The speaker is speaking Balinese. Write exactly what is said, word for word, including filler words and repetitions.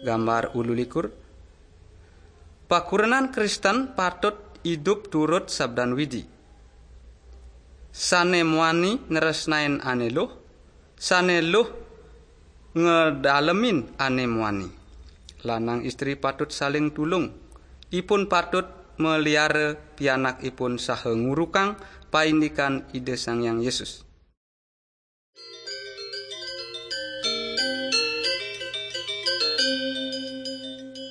Gambar ululikur. Pakurenan Kristen patut idup turut sabdan Widi. Sane muani nresnain ane luh, sane luh ngedalemin ane muani. Lanang istri patut saling tulung. Ipun patut meliara pianak ipun saha ngurukang paindikan Ida Sang Hyang Yesus.